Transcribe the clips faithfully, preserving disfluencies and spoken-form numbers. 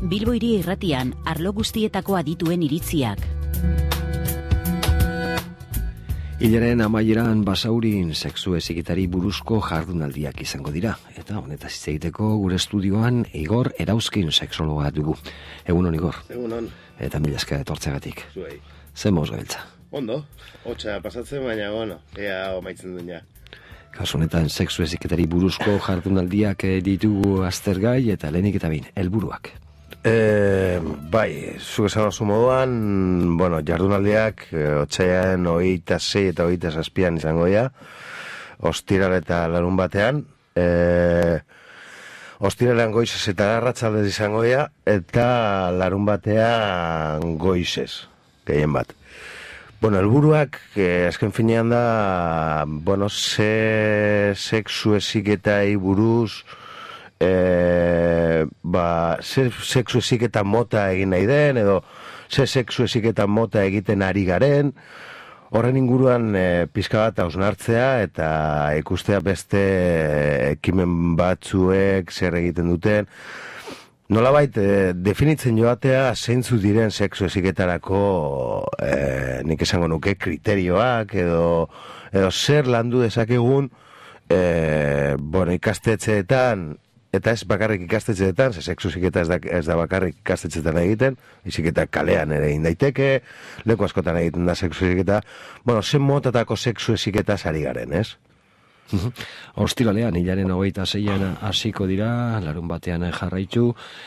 Bilbo Hiri Irratian, arlo guztietako adituen iritziak. Hilaren amaieran Basaurin sexu heziketari buruzko jardunaldiak izango dira. Eta honetaz hitz egiteko gure estudioan Igor Erauzkin sexologa dugu. Egun hon, Igor. Egun hon. Eta mila esker etortzeagatik. Zuei. Zer moz gabiltza? Ondo, hotxa pasatzen, baina bueno, ea omaitzen duen ja. Kasu honetan sexu heziketari buruzko jardunaldiak ditugu aztergai eta lehenik eta bin, helburuak. E, bai, zuk esan oso moduan, bueno, jardunaldiak otsaiaren hogeita sei eta hogeita zazpian izango dira, ostiral eta larun batean, e, ostiralean goizez eta arratsaldez izango dira, eta larun batean goizez, gehien bat. Bueno, helburuak, eh, azken finean da, bueno, ze sexu heziketai buruz, eh, ba, ze sexu heziketa mota egin nahi den, edo ze sexu heziketa mota egiten ari garen, horren inguruan eh, pizka bat hausnartzea eta ikustea beste ekimen batzuek zer egiten duten. Nolabait, eh, definitzen joatea zeintzu diren sexu heziketarako eh, nik esango nuke kriterioak edo, edo zer landu dezakegun eh, bueno, ikastetxeetan, eta ez bakarrik ikastetxeetan, ze sexu heziketa ez da, ez da bakarrik ikastetxeetan egiten, heziketa kalean ere egin daiteke, leku askotan egiten da sexu heziketa, bueno, zen motatako sexu heziketa ari garen, ez? Ostiralean, hilaren hogeita zeian hasiko dira, larun batean jarraitu,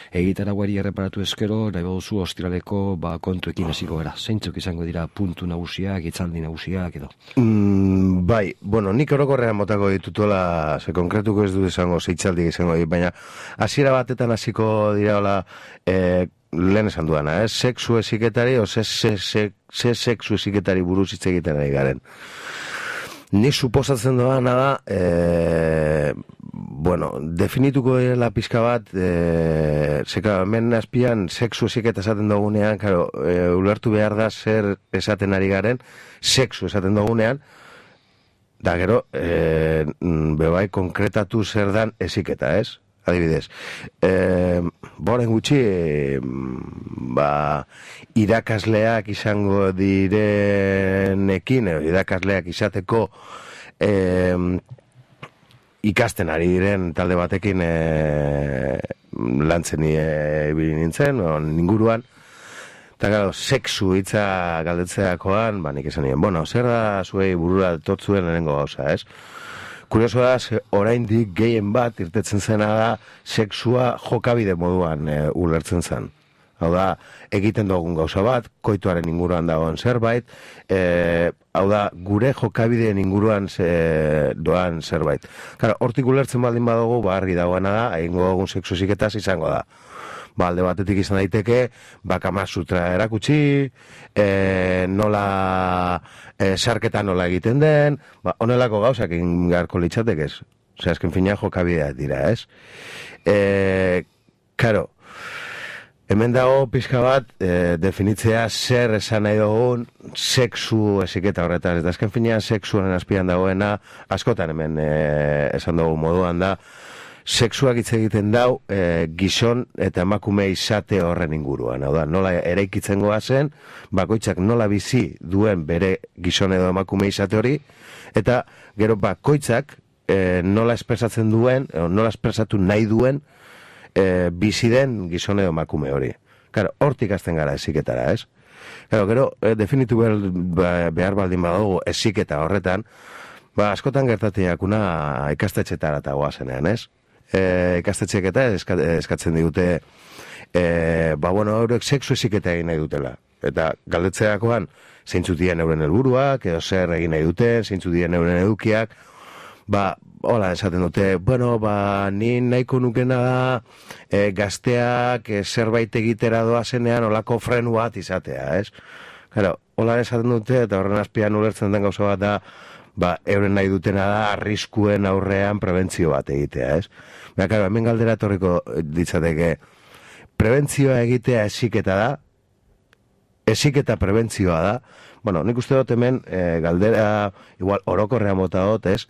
egitaraguari erreparatu eskero, nahi baduzu ostiraleko ba, kontuekin hasiko gara. Zeintzuk izango dira puntu nagusiak, hitzaldi nagusiak edo? Mm, bai, bueno, nik orokorrean motako ditutola, ze konkretuko ez du izango, zeitzaldi izango dit, baina hasiera batetan hasiko dira hola, eh, lehen esan duana, eh? Sexu heziketari, o ze, ze, ze, ze sexu heziketari buruz hitz egiten ari garen. Ni suposatzen doana da, e, bueno, definituko dela pizka bat, e, zeka, hemen azpian sexu heziketa esaten dugunean, claro, e, ulertu behar da zer esaten ari garen, sexu esaten dugunean, da gero, e, bebai konkretatu zer dan heziketa, ez? Adibidez, e, boren gutxi, e, ba, irakasleak izango direnekin, edo irakasleak izateko e, ikasten ari diren talde batekin e, lantzen ibili nintzen, o, inguruan, eta gero, sexu hitza galdetzeakoan, ba, nik esan nien, bueno, zer da zuei burura totzuen lehenengo gauza, ez? Kurioso da, oraindik gehien bat irtetzen zena da sexua jokabide moduan e, ulertzen zen. Hau da, egiten dugun gauza bat, koituaren inguruan dagoen zerbait, e, hau da, gure jokabideen inguruan ze, doan zerbait. Kara, hortik ulertzen baldin badugu, ba, argi dagoena da, egingo dugun sexu heziketaz izango da. Ba, alde batetik izan daiteke, ba, Kama Sutra erakutsi, e, nola, e, sarketa nola egiten den, ba, onelako gauzak egin beharko litzatek ez. Osea, azken fina jokabideak dira, ez? E, karo, hemen dago pizka bat, e, definitzea zer esan nahi dugun sexu heziketa horretan. Eta azken finean sexuaren azpian dagoena, askotan hemen e, esan dugu moduan da, sexuak hitz egiten dau e, gizon eta emakume izate horren inguruan. Hau da, nola eraikitzen goazen, bakoitzak nola bizi duen bere gizon edo emakume izate hori, eta gero bakoitzak e, nola espresatzen duen, e, nola espresatu nahi duen e, bizi den gizon edo emakume hori. Claro, hortik hasten gara heziketara, ez? Claro, gero, e, definitu behar, behar baldin badugu heziketa horretan, ba, askotan gertatiakuna ikastetxetara eta goazenean, ez? E, ikastetxeek eta eska, eskatzen digute e, ba bueno, eurek sexu heziketa egin nahi dutela eta galdetzeakoan zeintzu dien euren helburuak edo zer egin nahi duten, zeintzu dien euren edukiak, ba hola esaten dute, bueno, ba ni nahiko nukena da e, gazteak e, zerbait egitera doazenean olako frenu bat izatea, ez? Claro, hola esaten dute eta horren azpian ulertzen den gauza bat da, ba, euren nahi dutena da arriskuen aurrean prebentzio bat egitea, ez? Baina, claro, hemen galdera etorriko ditzateke, prebentzioa egitea heziketa da, heziketa prebentzioa da, bueno, nik uste dut hemen e, galdera, igual, orokorrean bota dut, ez?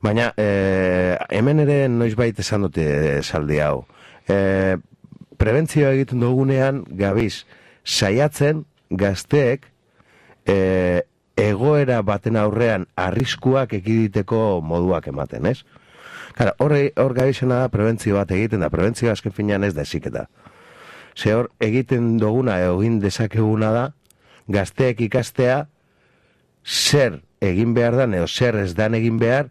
Baina, e, hemen ere noizbait esan dute esaldi hau. E, prebentzioa egiten dugunean, gabiz, saiatzen gazteek e, egoera baten aurrean arriskuak ekiditeko moduak ematen, ez? Kara, hor, hor gabizena da prebentzio bat egiten da, prebentzio azken finean ez da eziketa. Ze hor egiten duguna, egin dezakeguna da, gazteek ikastea, zer egin behar da, edo zer ez dan egin behar,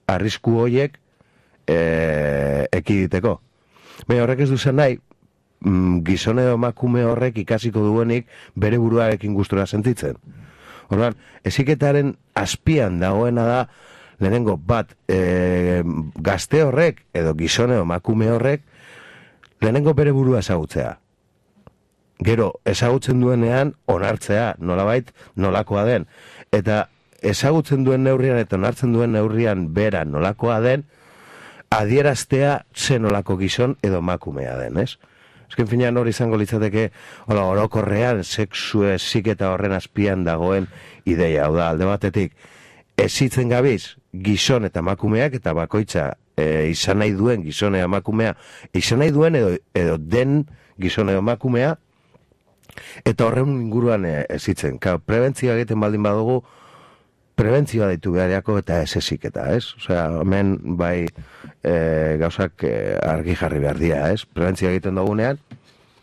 arrisku horiek e, ekiditeko. Baina horrek ez duzen nahi, gizone edo emakume horrek ikasiko duenik bere buruarekin gustura sentitzen. Orduan, eziketaren azpian dagoena da, lehenengo bat, e, gazte horrek, edo gizone edo emakume horrek, lehenengo bere burua ezagutzea. Gero, ezagutzen duenean, onartzea, nolabait, nolakoa den. Eta ezagutzen duen neurrian eta onartzen duen neurrian bera nolakoa den, adieraztea ze nolako gizon edo emakumea den, ez? Ezken finean hori izango litzateke, hola, orokorrean, sexu heziketa horren azpian dagoen ideia, hau da, alde batetik, hezitzen gabiz, gizon eta emakumeak, eta bakoitza e, izan nahi duen gizone emakumea, izan nahi duen edo, edo den gizone emakumea, eta horren inguruan hezitzen. Claro, prebentzioa egiten baldin badugu, prebentzioa deitu beharriako eta ez heziketa, ez? Osea, hemen bai e, gauzak e, argi jarri behar dira, ez? Prebentzioa egiten dugunean,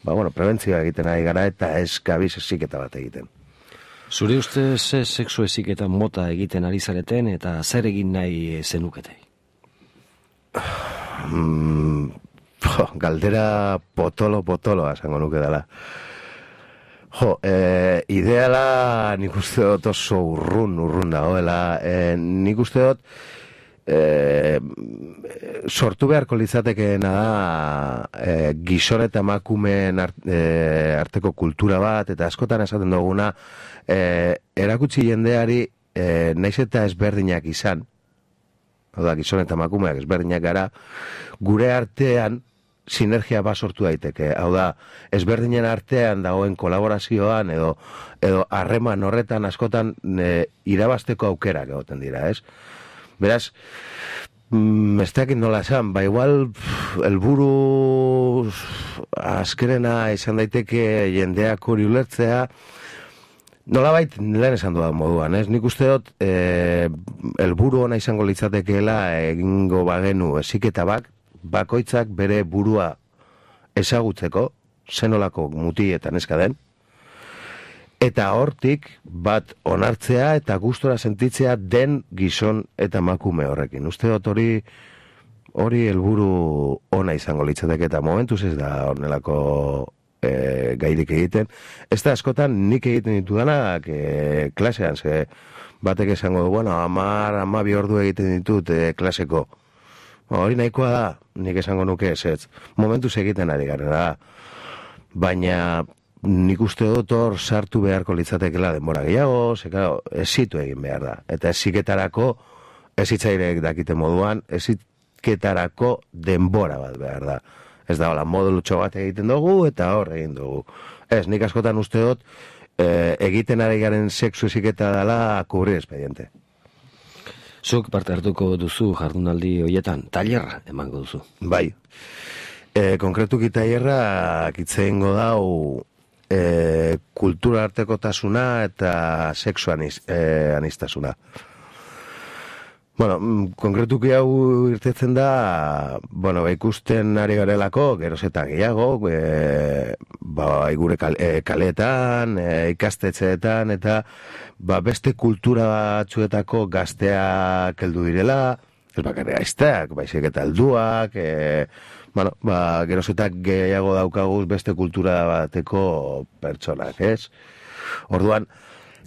ba, bueno, prebentzioa egiten ari gara eta ez gabiz heziketa bat egiten. Zure uste ze sexu heziketa mota egiten ari zareten eta zer egin nahi zenukete? Mm, jo, galdera potolo-potoloa esango nuke dela. Jo, e, ideala nik uste dut oso urrun, urrun dagoela. E, nik uste dut e, sortu beharko litzatekeena da e, gizon eta emakumeen art, e, arteko kultura bat, eta askotan esaten duguna, e, erakutsi jendeari e, naiz eta ezberdinak izan, hau da, gizon eta emakumeak ezberdinak gara, gure artean sinergia bat sortu daiteke. Hau da, ezberdinen artean dagoen kolaborazioan edo edo harreman horretan askotan e, irabazteko aukerak egoten dira, ez? Beraz, mm, ez dakit nola esan, ba igual helburu azkerena izan daiteke jendeak hori ulertzea, nolabait lehen esan dudan moduan, ez? Nik uste dut e, helburu ona izango litzatekeela egingo bagenu heziketa bat, bakoitzak bere burua ezagutzeko, zenolako muti eta neska den, eta hortik bat onartzea eta gustora sentitzea den gizon eta emakume horrekin. Uste dut hori hori helburu ona izango litzateke eta momentuz ez da honelako e, gairik egiten. Ez da askotan nik egiten ditudanak e, klasean, ze batek esango du, bueno, amar, amabi ordu egiten ditut e, klaseko. Hori nahikoa da, nik esango nuke ez ez. Momentuz egiten ari garen da. Baina nik uste dut hor sartu beharko litzatekela denbora gehiago, ze claro, ezitu egin behar da. Eta eziketarako, ezitzairek dakite moduan, eziketarako denbora bat behar da. Ez da, hola, modulutxo bat egiten dugu eta hor egin dugu. Ez, nik askotan uste dut e, egiten ari garen sexu eziketa dela kubrir expediente. Zuk parte hartuko duzu jardunaldi hoietan, tailerra emango duzu. Bai. E, konkretuki tailerra kitzeingo dau e, kultura artekotasuna eta sexu aniz, e, anistasuna. Bueno, konkretuki hau irtetzen da, bueno, ikusten ari garelako, geroz eta gehiago, e, ba, gure kal, e, kaletan, e, ikastetxeetan, eta ba, beste kultura batzuetako gazteak heldu direla, ez bakarrik aizteak, baizik eta helduak, e, bueno, ba, geroz eta gehiago daukaguz beste kultura bateko pertsonak, ez? Orduan,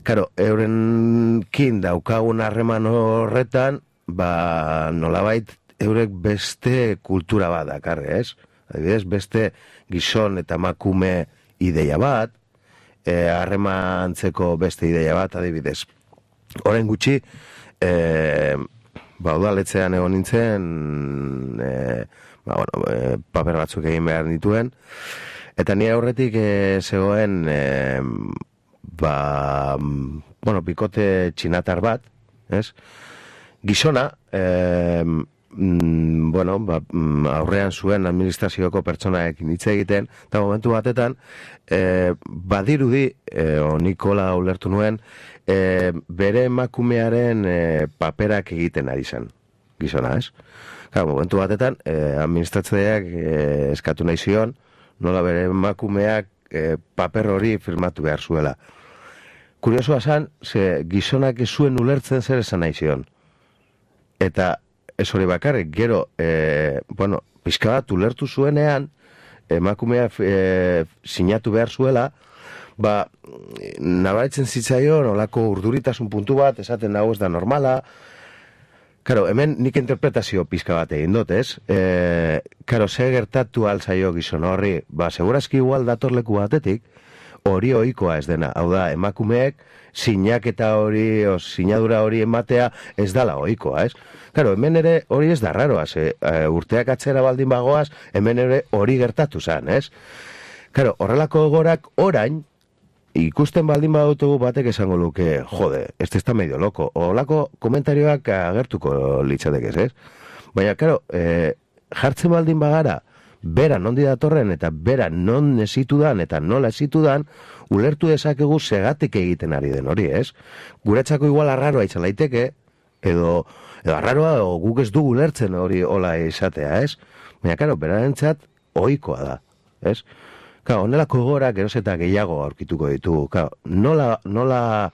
karo, eurenkin daukagun harreman horretan, ba, nolabait eurek beste kultura bat dakarre, ez? Adibidez, beste gizon eta emakume ideia bat, harremantzeko e, beste ideia bat, adibidez. Orain gutxi, e, ba, udaletzean egon nintzen, e, ba, bueno, e, paper batzuk egin behar nituen, eta nire aurretik e, zegoen, e, ba, bueno, bikote txinatar bat, ez? Gizona, eh, mm, bueno, ba, mm, aurrean zuen administrazioko pertsonaekin hitz egiten, eta momentu batetan, e, badirudi, e, o Nikola ulertu nuen, e, bere emakumearen e, paperak egiten ari zen, gizona, ez? Claro, momentu batetan, e, administratzaileak e, eskatu nahi zion, nola bere emakumeak e, paper hori firmatu behar zuela. Kuriosoa zan, ze gizonak ez zuen ulertzen zer esan nahi zion. Eta ez hori bakarrik, gero, e, bueno, pixka bat ulertu zuenean, emakumea e, sinatu behar zuela, ba, nabaritzen zitzaion, olako urduritasun puntu bat, esaten hau ez da normala. Karo, hemen nik interpretazio pixka bat egin dut, ez? E, karo, ze gertatu alzaio gizon horri, ba, segurazki igual datorleku batetik, hori ohikoa ez dena. Hau da, emakumeek sinaketa hori, o sinadura hori ematea ez dala ohikoa, ez? Karo, hemen ere hori ez da raroa, ze e, urteak atzera baldin bagoaz, hemen ere hori gertatu zan, ez? Karo, horrelako gorak orain, ikusten baldin badutugu batek esango luke, jode, este está medio loco. Horrelako komentarioak agertuko litzatek ez, ez? Baina, karo, e, jartzen baldin bagara, bera nondi datorren eta bera non esitudan eta nola esitudan, ulertu dezakegu segatik egiten ari den hori, ez? Guretzako igual arraroa izan daiteke, edo, edo arraroa o guk ez dugu ulertzen hori hola izatea, ez? Baina, karo, berarentzat ohikoa da, ez? Karo, honelako gora geroz eta gehiago aurkituko ditugu. Karo, nola, nola,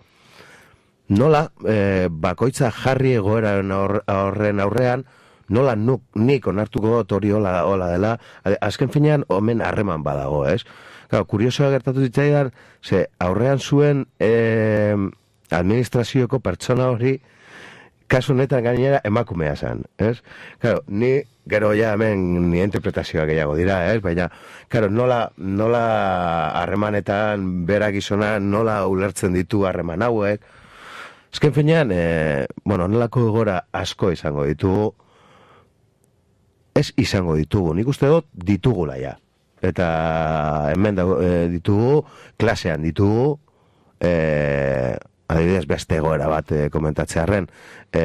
nola e, bakoitza jarri egoeraren horren aurrean, nola nuk, nik onartuko dut hori hola, hola dela, azken finean omen harreman badago, ez? Karo, kuriosoa gertatu zitzaidan, ze aurrean zuen e, administrazioko pertsona hori, kasu honetan gainera emakumea zen, ez? Karo, ni gero ja hemen ni interpretazioa gehiago dira, ez? Baina, karo, nola, nola harremanetan bera gizona, nola ulertzen ditu harreman hauek. Ezken finean, e, bueno, nolako gora asko izango ditugu, ez izango ditugu, nik uste dut ditugula ja. Eta hemen da, e, ditugu, klasean ditugu, e, adibidez beste egoera bat e, komentatzearren, e,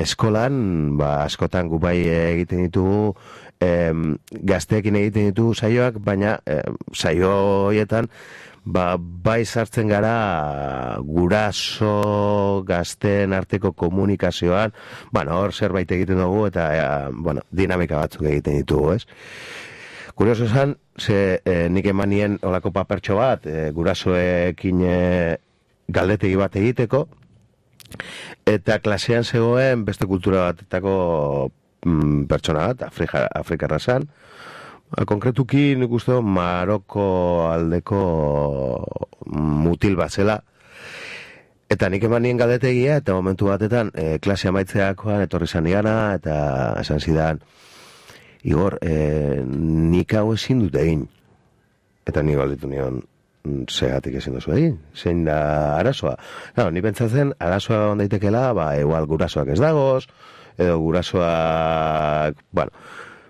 eskolan, ba, askotan gu bai egiten ditugu, e, gazteekin egiten ditugu saioak, baina e, saio horietan, ba, bai sartzen gara guraso gazteen arteko komunikazioan, bueno, hor zerbait egiten dugu, eta e, bueno, dinamika batzuk egiten ditugu, ez? Kurioso esan, ze e, nik emanien olako papertxo bat, e, gurasoekin e, galdetegi bat egiteko, eta klasean zegoen beste kultura batetako mm, pertsona bat, Afrika, Afrikarra zan, konkretuki nik uste Maroko aldeko mutil bat zela, eta nik eman nien galdetegia, eta momentu batetan e, klase amaitzeakoan etorri zan igana, eta esan zidan, Igor, e, nik hau ezin dut egin, eta nik galdetu nion, segatik ezin duzu egin, zein da arazoa. Claro, ni pentsatzen, arazoa ondaitekela, ba, igual gurasoak ez dagoz, edo gurasoak, bueno,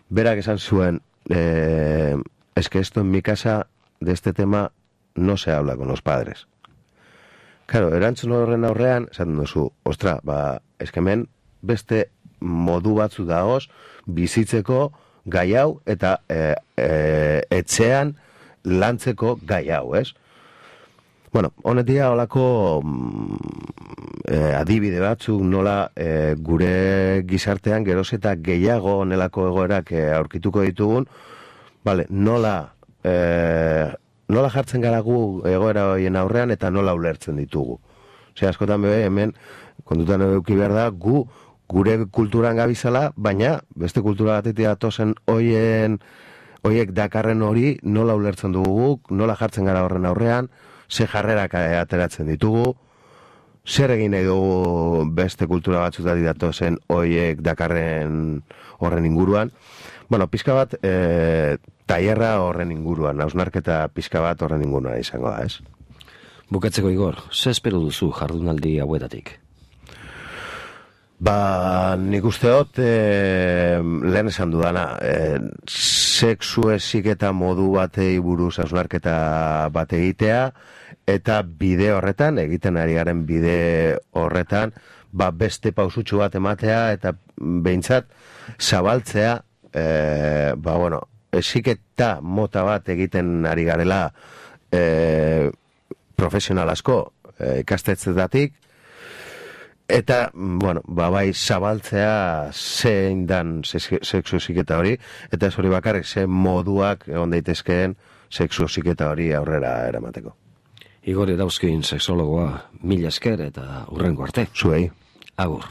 berak esan zuen, eh, es que esto en mi casa, de este tema, no se habla con los padres. Claro, erantzun horren aurrean, esaten duzu, ostra, ba, eskemen, beste modu batzu dagoz, bizitzeko gai hau, eta e, e, etxean lantzeko gai hau, ez? Bueno, honetia holako mm, e, adibide batzuk nola e, gure gizartean geroz eta gehiago honelako egoerak e, aurkituko ditugun, vale, nola e, nola jartzen gara gu egoera horien aurrean eta nola ulertzen ditugu. Ose, askotan bebe, hemen kontutan eduki behar da, gu gure kulturan gabizala, baina beste kultura batetik datozen hoien hoiek dakarren hori nola ulertzen dugu guk, nola jartzen gara horren aurrean, ze jarrerak ateratzen ditugu, zer egin nahi dugu beste kultura batzutatik datozen hoiek dakarren horren inguruan. Bueno, pizka bat, e, tailerra horren inguruan, hausnarketa pizka bat horren inguruan izango da, ez? Bukatzeko, Igor, ze espero duzu jardunaldi hauetatik? Ba, nik uste dut, e, lehen esan dudana, e, sexu eziketa modu batei buruz hausnarketa bat egitea, eta bide horretan, egiten ari garen bide horretan, ba, beste pausutxu bat ematea, eta behintzat, zabaltzea, e, ba, bueno, esiketa mota bat egiten ari garela e, profesional asko e, ikastetzetatik, eta, bueno, ba, bai, zabaltzea zein dan sexu esiketa hori, eta ez hori bakarrik, ze moduak egon daitezkeen sexu esiketa hori aurrera eramateko. Igor Erauzkin sexologoa, mila esker eta hurrengo arte. Zuei. Agur.